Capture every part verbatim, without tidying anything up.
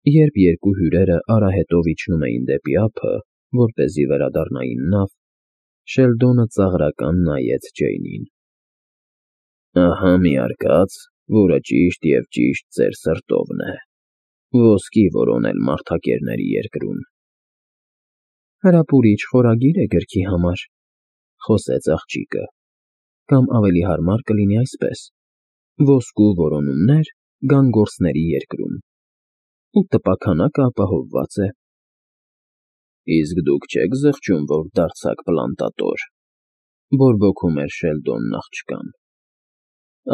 Երբ երկու հյուրերը արահետով իջնում էին դեպի ափը, որպեսզի վերադառնային նավ, Շելդոնը ծաղրական նայեց Ջեյնին։ Ահա մի արկած, որը ճիշտ և ճիշտ ձեր սրտովն է, ոսկի որոնել մարդակերների երկրում։ Հրապուրիչ խորագիր է գրքի համար, խոսեց աղջիկը, կամ ավելի հարմար կլինի այսպես. ոսկու որոնումներ գանգորսների երկրում, ու տպաքանակը ապահովված է։ Իսկ դուք չեք զղջում, որ դարձաք պլանտատոր, բորբոքում էր Շելդոնն աղջկան։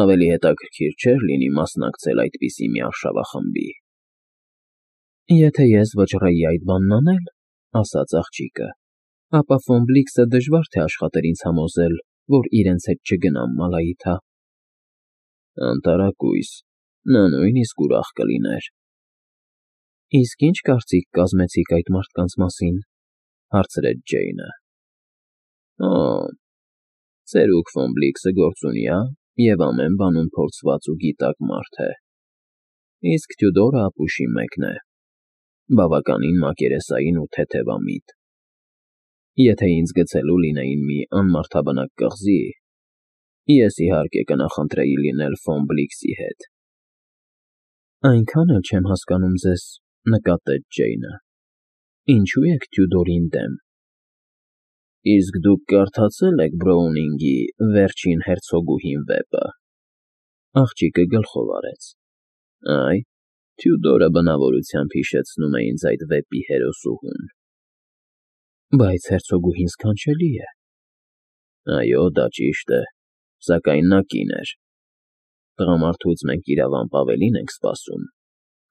Ավելի հետաքրքիր չէր լինի մասնակցել այդպիսի մի արշավախմբի։ Եթե ես վճռեի այդ բանն անել, ասաց աղջիկը, ապա Ֆոմբլիքսը դժվար թե աշխատեր ինձ համոզել, որ իրենց հետ չգնամ Մալայիթա։ Անտարակույս, նա նույնիսկ ուրախ կլիներ։ Իսկ ի՞նչ կարծիք կազմեցիք այդ մարդկանց մասին, հարցրեց Ջեյնը։ Օ, ծերուկ Ֆոմբլիքսը գործունյա և ամեն բանում փորձված ու գիտակ մարդ է, իսկ Թյուդորը ապուշի մեկն է, բավականին մակերեսային ու թեթևամիտ։ Եթե ինձ գցելու լինեին մի անմարդաբնակ կղզի, ես իհարկե կնախընտրեի լինել Ֆոմբլիքսի հետ։ Այնքան էլ չեմ հասկանում ձեզ, նկատեց Ջեյնը, ինչու եք Թյուդորին դեմ։ Իսկ դուք կարդացե՞լ եք Բրոունինգի «Վերջին հերցոգուհին» վեպը։ Աղջիկը գլխով արեց։ Այ, Թյուդորը բնավորությամբ հիշեցնում է ինձ այդ վեպի հերոսուհուն։ Բայց հերցոգուհին սքանչելի է։ Այո, դա ճիշտ է, սակայն նա կին էր։ Տղամարդուց մենք իրավամբ ավելին ենք սպասում,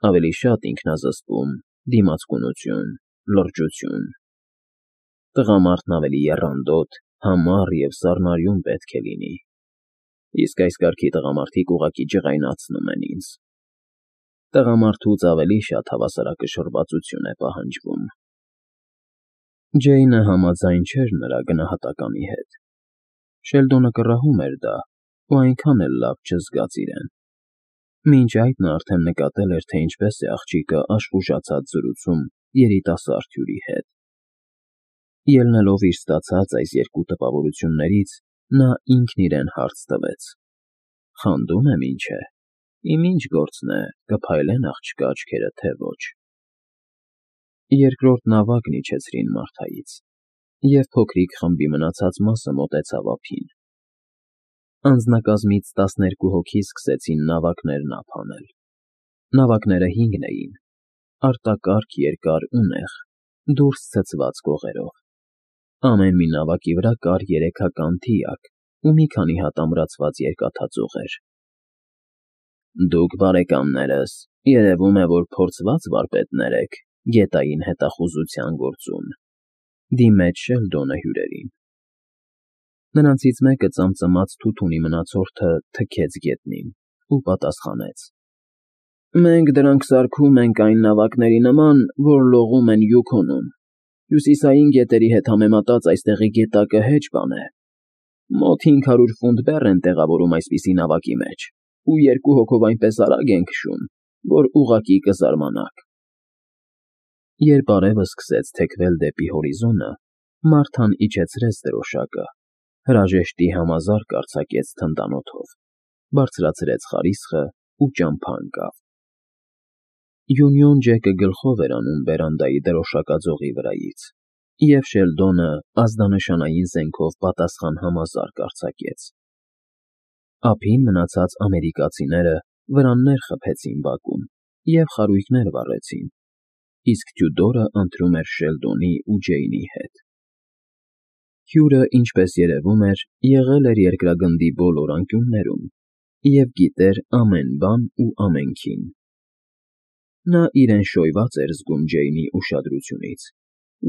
ավելի շատ ինքնազսպում, դիմացկունություն, լրջություն։ Տղամարդն ավելի եռանդոտ, համառ և սառնարյուն պետք է լինի, իսկ այս կարգի տղամարդիկ ուղղակի ջղայնացնում են ինձ։ Տղամարդուց ավելի շատ հավասարակշռվածություն է պահանջվում։ Ջեյնը համաձայն չէր նրա գնահատականի հետ։ Շելդոնը կռահում էր դա ու այնքան էլ լավ չզգաց իրեն։ Մինչ այդ նա արդեն նկատել էր, թե ինչպես է աղջիկը աշխուժացած զրուցում երիտասարդ հյուրի հետ։ Ելնելով իր ստացած այս երկու տպավորություններից, նա ինքն իրեն հարց տվեց. խանդում եմ ինչ է, իմ ինչ գործն է, կփայլեն աղջկա աչքերը, թե ոչ։ Երկրորդ նավակն իջեցրին Մարթայից, և փոքրիկ խմբի մնացած մասը մոտեցավ ափին։ Անձնակազմից տասներկու հոգի սկսեցին նավակներն ափ հանել։ Նավակները հինգն էին, արտակարգ, երկար ու նեղ, դուրս ցցված կողերով։ Ամեն մի նավակի վրա կար երեքական թիակ ու մի քանի հատ ամրացված երկաթածուղեր։ Դուք, բարեկամներս, երևում է, որ փորձված վարպետներ եք գետային հետախուզության գործում, դիմեց Շելդոնը հյուրերին։ Նրանցից մեկը ծամծմաց թութունի մնացորդը թքեց գետնին ու պատասխանեց. Մենք դրանք սարքում ենք այն նավակների նման, որ լողում են Յուքոնում։ Հյուսիսային գետերի հետ համեմատած այստեղի գետակը հեչ բան է։ Մոտ հինգ հարյուր ֆունտ բեռ են տեղավորում այսպիսի նավակի մեջ, ու երկու հոգով այնպես արագ են քշում, որ ուղղակի կզարմանաք։ Երբ արևը սկսեց թեքվել դեպի հորիզոնը, Մարթան իջեցրեց դրոշակը, հրաժեշտի համազարկ արձակեց թնդանոթով, բարձրացրեց խարիսխը ու ճամփա ընկավ։ Յունիոն Ջեկը գլխով էր անում բերանդայի դրոշակաձողի վրայից, և Շելդոնը ազդանշանային զենքով պատասխան համազարկ արձակեց։ Ափին մնացած ամերիկացիները վրաններ խփեցին բակում և խարույկներ վառեցին, իսկ Թյուդորը ընթրում էր Շելդոնի ու Ջեյնի հետ։ Հյուրը, ինչպես երևում էր, եղել էր երկրագնդի բոլոր անկյուններում և գիտեր ամեն բան ու ամենքին։ Նա իրեն շոյված էր զգում Ջեյնի ուշադրությունից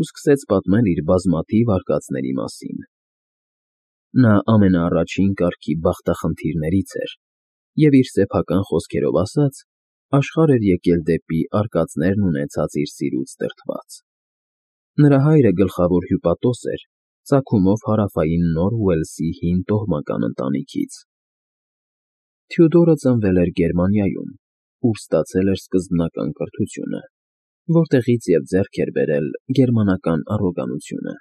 ու սկսեց պատմել իր բազմաթիվ արկածների մասին։ Նա ամենաառաջին կարգի բախտախնդիրներից էր և, իր սեփական խոսքերով ասած, աշխարհ էր եկել դեպի արկածներն ունեցած իր սիրուց դրդված։ Նրա հայրը գլխավոր հյուպատոս էր, ծագումով Հարավային Նոր Ուելսի հին տոհմական ընտանիքից։ Թյուդորը ծնվել էր Գերմանիայում, ուր ստացել էր սկզբնական կրթությունը։ որտեղից և ձեռք էր բերել գերմանական առոգանությունը։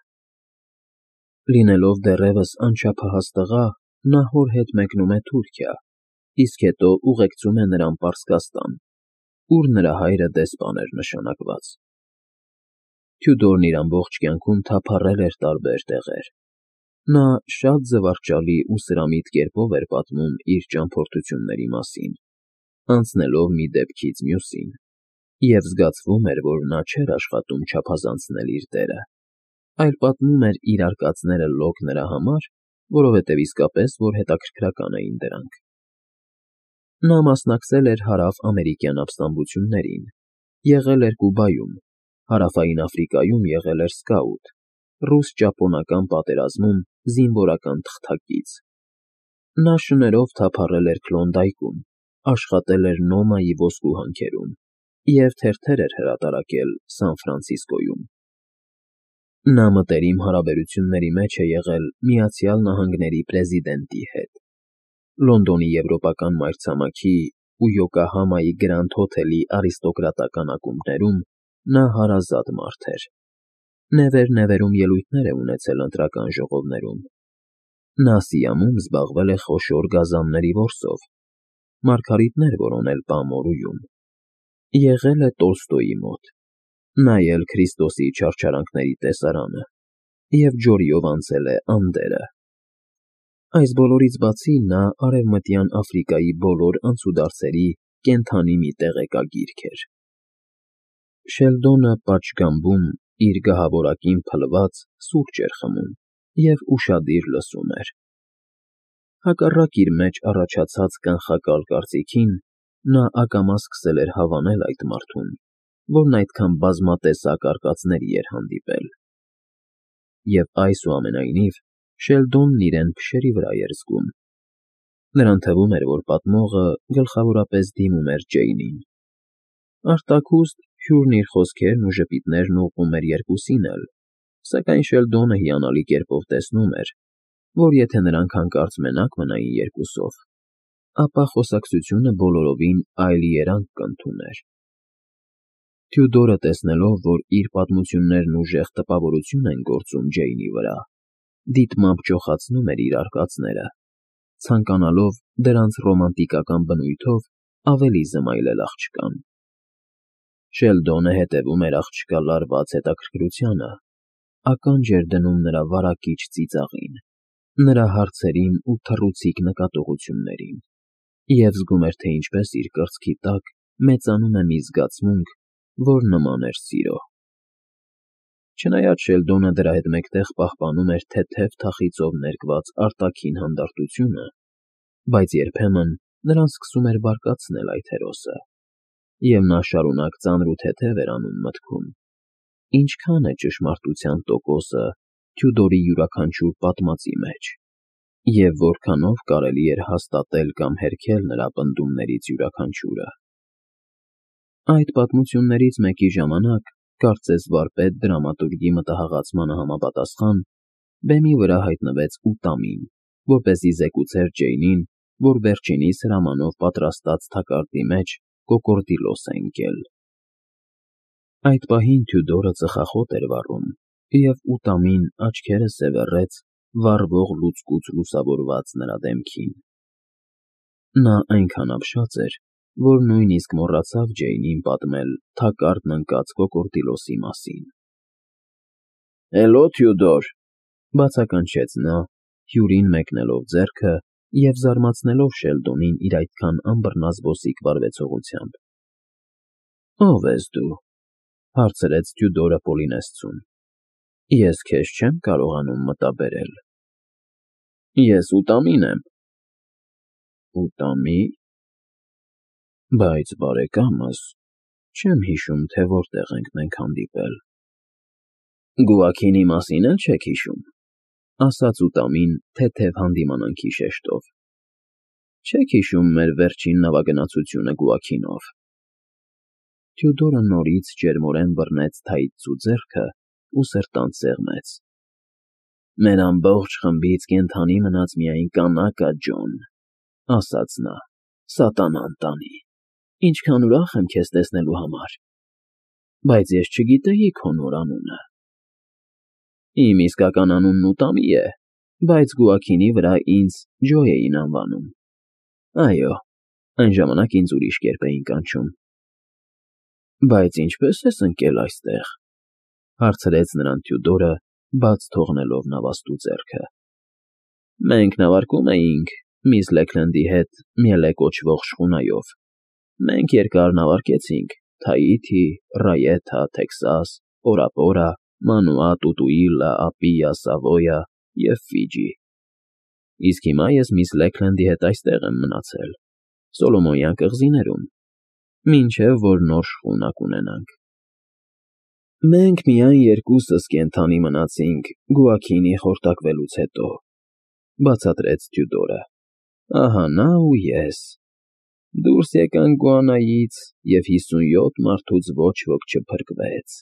Լինելով դեռևս անչափահաս տղա, նա հոր հետ մեկնում է Թուրքիա, իսկ հետո ուղեկցում է նրան Պարսկաստան, ուր նրա հայրը դեսպան էր նշանակված։ Թյուդորն իր ամբողջ կյանքում թափառել էր տարբեր տեղեր։ Նա շատ զվարճալի ու սրամիտ կերպով էր պատմում իր ճամփորդությունների մասին, անցնելով մի դեպքից մյուսին, և զգացվում էր, որ նա չէր աշխատում չափազանցնել իր դերը, այլ պատմում էր իր արկածները լոկ նրա համար, որովհետև իսկապես որ հետաքրքրական էին դրանք։ Նա մասնակցել էր հարավ֊ամերիկյան ապստամբություններին, եղել էր Կուբայում, Հարավային Աֆրիկայում եղել էր սկաուտ, ռուս֊ճապոնական պատերազմում զինվորական թղթակից։ Նա շներով թափառել էր Քլոնդայքում, աշխատել էր Նոմայի ոսկու հանքերում և թերթեր էր հրատարակել Սան Ֆրանցիսկոյում։ Նա մտերիմ հարաբերությունների մեջ է եղել Միացյալ Նահանգների պրեզիդենտի հետ։ Լոնդոնի եվրոպական մայրցամաքի ու Յոկոհամայի Գրանդ հոթելի արիստոկրատական ակումբներում նա հարազատ մարդ էր։ Նևեր֊նևերում ելույթներ է ունեցել ընտրական ժողովներում։ Նա Սիամում զբաղվել է խոշոր գազանների որսով, մարգարիտներ որոնել Պամորուում, եղել է Տոլստոյի մոտ, նայել Քրիստոսի չարչարանքների տեսարանը և ջորիով անցել է Անդերը։ Այս բոլորից բացի նա Արևմտյան Աֆրիկայի բոլոր անցուդարձերի կենդանի մի տեղեկագիրք էր։ Շելդոնը պատշգամբում իր գահավորակին փլված սուրճ էր խմում և ուշադիր լսում էր։ Հակառակ իր մեջ առաջացած կանխակալ կարծիքին, նա ակամա սկսել էր հավանել այդ մարդուն, որն այդքան բազմատեսակ արկածների էր հանդիպել։ Եվ այսուամենայնիվ, Շելդոնն իրեն փշերի վրա էր զգում։ Նրան թվում էր, որ պատմողը գլխավորապես դիմում էր Ջեյնին։ Արտաքուստ Հյուրն իր խոսքերն ու ժպիտներն ուղղում էր երկուսին էլ, սակայն Շելդոնը հիանալի կերպով տեսնում էր, որ եթե նրանք հանկարծ մենակ մնային երկուսով, ապա խոսակցությունը բոլորովին այլ երանգ կընդուներ։ Թյուդորը, տեսնելով, որ իր պատմություններն ուժեղ տպավորություն են գործում Ջեյնի վրա, դիտմամբ ճոխացնում էր իր արկածները, ցանկանալով դրանց ռոմանտիկական բնույթով ավելի զմայլել աղջկան։ Շելդոնը հետևում էր աղջկա լարված հետաքրքրությանը, ականջ էր դնում նրա վարակիչ ծիծաղին, նրա հարցերին ու թռուցիկ նկատողություններին և զգում էր, թե ինչպես իր կրծքի տակ մեծանում է մի զգացմունք, որ նման էր սիրո։ Չնայած Շելդոնը դրա հետ մեկտեղ պահպանում էր թեթև թախիծով ներկված արտաքին հանդարտությունը, բայց երբեմն նրան սկսում էր բարկացնել այդ հերոսը, և նա շարունակ ծանր ու թեթև էր անում մտքում. ինչքա՞ն է ճշմարտության տոկոսը Թյուդորի յուրաքանչյուր պատմածի մեջ, և որքանով կարելի էր հաստատել կամ հերքել նրա պնդումներից յուրաքանչյուրը։ Այդ պատմություններից մեկի ժամանակ, կարծես վարպետ դրամատուրգի մտահաղացմանը համապատասխան, բեմի վրա հայտնվեց Ուտամին, որպեսզի զեկուցեր Ջեյնին, որ վերջինիս հրամանով պատրաստած թակարդի մեջ կոկորդիլոս է ընկել։ Այդ պահին Թյուդորը ծխախոտ էր վառում, և Ուտամին աչքերը սևեռեց վառվող լուցկուց լուսավորված նրա դեմքին։ Նա այնքան ապշած էր, որ նույնիսկ մոռացավ Ջեյնին պատմել թակարդն ընկած կոկորդիլոսի մասին։ ֊ Հելո, Թյուդոր,֊ բացականչեց նա, Հյուրին մեկնելով ձեռքը և զարմացնելով Շելդոնին իր այդքան անբռնազբոսիկ վարվեցողությամբ։ ֊ Ո՞վ ես դու,֊ հարցրեց Թյուդորը Պոլինեսցուն։ ֊ Ես քեզ չեմ կարողանում մտաբերել։ ֊ Ես Ուտամին եմ։ ֊ Ուտամի՞… Բայց, բարեկամս, չեմ հիշում, թե որտեղ ենք մենք հանդիպել։ ֊ Գուաքինի մասին էլ չեք հիշում,֊ ասաց Ուտամին թեթև հանդիմանանքի շեշտով։ ֊ Չեք հիշում մեր վերջին նավագնացությունը Գուաքինով։ Թյուդորը նորից ջերմորեն բռնեց թայծու ձեռքն ու սրտանց սեղմեց։ ֊ Մեր ամբողջ խմբից կենդանի մնաց միայն կանակը, Ջոն,֊ ասաց նա,֊ սատանան տանի, ինչքան ուրախ եմ քեզ տեսնելու համար։ բայց ես չգիտեի քո նոր անունը։ Իմ իսկական անունն Ութամի է, բայց Գուաքինի վրա ինձ Ջո էին անվանում։ Այո, այն ժամանակ ինձ ուրիշ կերպ էին կանչում։ Բայց ինչպե՞ս ես ընկել այստեղ,֊ հարցրեց նրան Թյուդորը, բաց թողնելով նավաստու ձեռքը։ Մենք նավարկում էինք միս Լեքլենդի հետ Մյելե կոչվող շխունայով։ Մենք երկար նավարկեցինք Թաիթի, Ռայեթա, Թեքսաս, Պորապորա, Մանուա, Տուտուիլլա, Ապիա, Սավոյա և Ֆիջի։ Իսկ հիմա ես միս Լեքլենդի հետ այստեղ եմ մնացել, Սոլոմոնյան կղզիներում, մինչև որ նոր շխունա կունենանք։ Մենք միայն երկուսս կենդանի մնացինք Գուաքինի խորտակվելուց հետո,֊ բացատրեց Թյուդորը։ Ահա նա ու ես։ Դուրս եկանք Գուանայից, և հիսունյոթ մարդուց ոչ ոք չփրկվեց,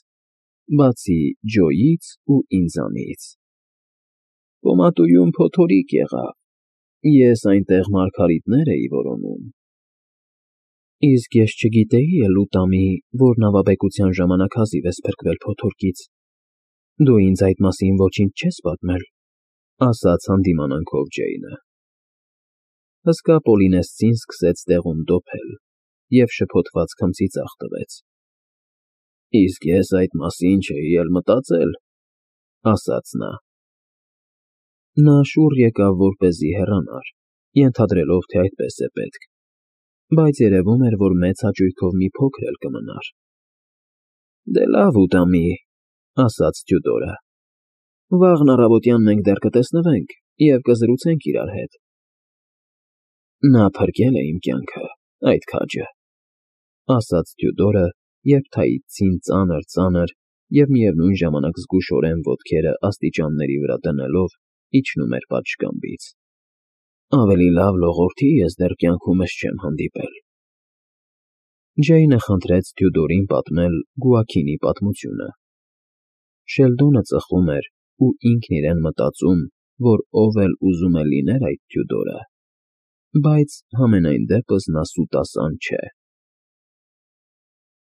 բացի Ջոյից ու ինձանից։ Պոմատույում փոթորիկ եղավ, ես այնտեղ մարգարիտներ էի որոնում։ Իսկ ես չգիտեի էլ Ութամի, որ նավաբեկության ժամանակ հազիվ ես փրկվել փոթորկից։ Դու ինձ այդ մասին ոչինչ չես պատմել,֊ ասաց հանդիմանանքով Ջեյնը։ Հսկա Պոլինեսցին սկսեց տեղում դոփել և շփոթված քմծի ձախ տվեց։ Իսկ ես այդ մասին չէի էլ մտածել,֊ ասաց նա։ Նա շուռ եկավ, որպեսզի հեռանար, ենթադրելով, թե այդպես է պետք, բայց երևում էր, որ մեծ հաճույքով մի փոքր էլ կմնար։ Դե լավ, Ութամի,֊ ասաց Թյուդորը։ Վաղն առավոտյան մենք դեռ կտեսնվենք և կզրուցենք իրար հետ։ Նա փրկել է իմ կյանքը, այդ քաջը,֊ ասաց Թյուդորը, երբ թաիթցին ծանր֊ծանր և միևնույն ժամանակ զգուշորեն ոտքերը աստիճանների վրա դնելով իջնում էր պատշգամբից։ Ավելի լավ լողորդի ես դեռ կյանքումս չեմ հանդիպել։ Ջեյնը խնդրեց Թյուդորին պատմել Գուաքինի պատմությունը։ Շելդոնը ծխում էր ու ինքն իրեն մտածում, որ ով էլ ուզում է լիներ այդ Թյուդորը, բայց համենայն դեպս նա սուտասան չէ։